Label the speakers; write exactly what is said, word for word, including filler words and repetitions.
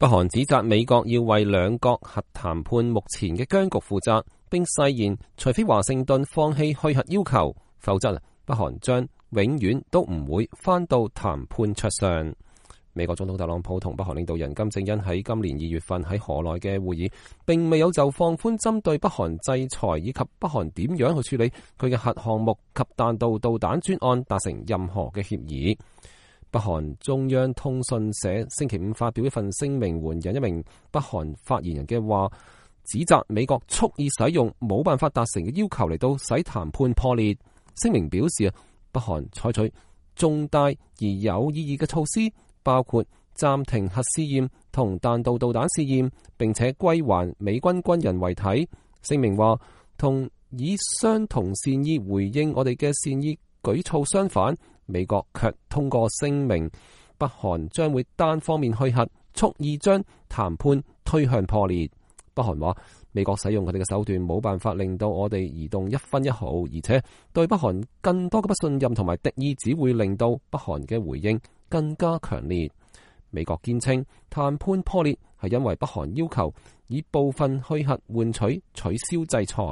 Speaker 1: 北韓指責美國要為兩國核談判目前嘅僵局負責，並誓言除非華盛頓放棄去核要求，否則北韓將永遠都唔會返到談判桌上。美國總統特朗普同北韓領導人金正恩喺今年二月份喺河內嘅會議，並未有就放寬針對北韓制裁以及北韓點樣去處理佢嘅核項目及彈道導彈專案達成任何嘅協議。北韓中央通訊社星期五發表一份聲明，援引一名北韓發言人嘅話，指責美國蓄意使用冇辦法達成嘅要求嚟到使談判破裂。聲明表示啊，北韓採取重大而有意義嘅措施，包括暫停核試驗同彈道導彈試驗，並且歸還美軍軍人遺體。聲明話，同以相同善意回應我哋嘅善意舉措相反，美國卻通過聲明，北韓將會單方面去核，蓄意將談判推向破裂。北韓話，美國使用佢哋嘅手段冇辦法令到我哋移動一分一毫，而且對北韓更多嘅不信任同埋敵意，只會令到北韓嘅回應更加強烈。美國堅稱談判破裂係因為北韓要求以部分去核換取取消制裁。